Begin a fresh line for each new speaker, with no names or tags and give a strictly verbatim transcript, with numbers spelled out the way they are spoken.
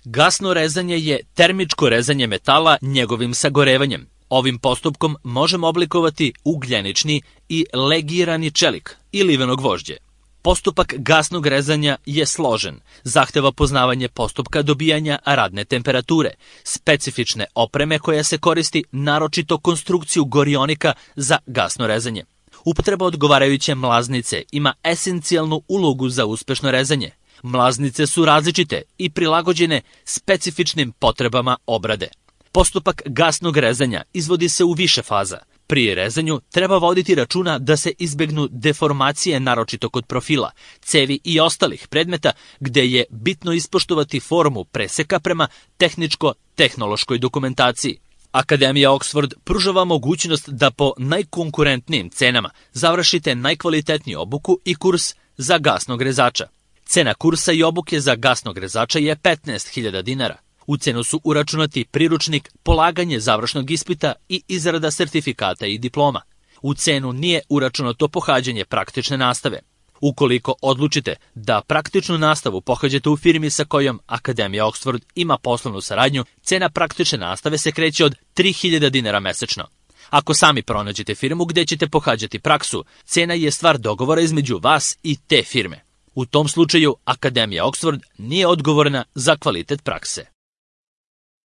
Gasno rezanje je termičko rezanje metala njegovim sagorevanjem. Ovim postupkom možemo oblikovati ugljenični i legirani čelik i liveno gvožđe. Postupak gasnog rezanja je složen, zahteva poznavanje postupka dobijanja radne temperature, specifične opreme koja se koristi, naročito konstrukciju gorionika za gasno rezanje. Upotreba odgovarajuće mlaznice ima esencijalnu ulogu za uspešno rezanje. Mlaznice su različite i prilagođene specifičnim potrebama obrade. Postupak gasnog rezanja izvodi se u više faza. Pri rezanju treba voditi računa da se izbegnu deformacije, naročito kod profila, cevi i ostalih predmeta, gde je bitno ispoštovati formu preseka prema tehničko-tehnološkoj dokumentaciji. Akademija Oxford pružava mogućnost da po najkonkurentnijim cenama završite najkvalitetniju obuku i kurs za gasnog rezača. Cena kursa i obuke za gasnog rezača je petnaest hiljada dinara. U cenu su uračunati priručnik, polaganje završnog ispita i izrada sertifikata i diploma. U cenu nije uračunato pohađanje praktične nastave. Ukoliko odlučite da praktičnu nastavu pohađate u firmi sa kojom Akademija Oxford ima poslovnu saradnju, cena praktične nastave se kreće od tri hiljade dinara mesečno. Ako sami pronađete firmu gde ćete pohađati praksu, cena je stvar dogovora između vas i te firme. U tom slučaju Akademija Oxford nije odgovorna za kvalitet prakse.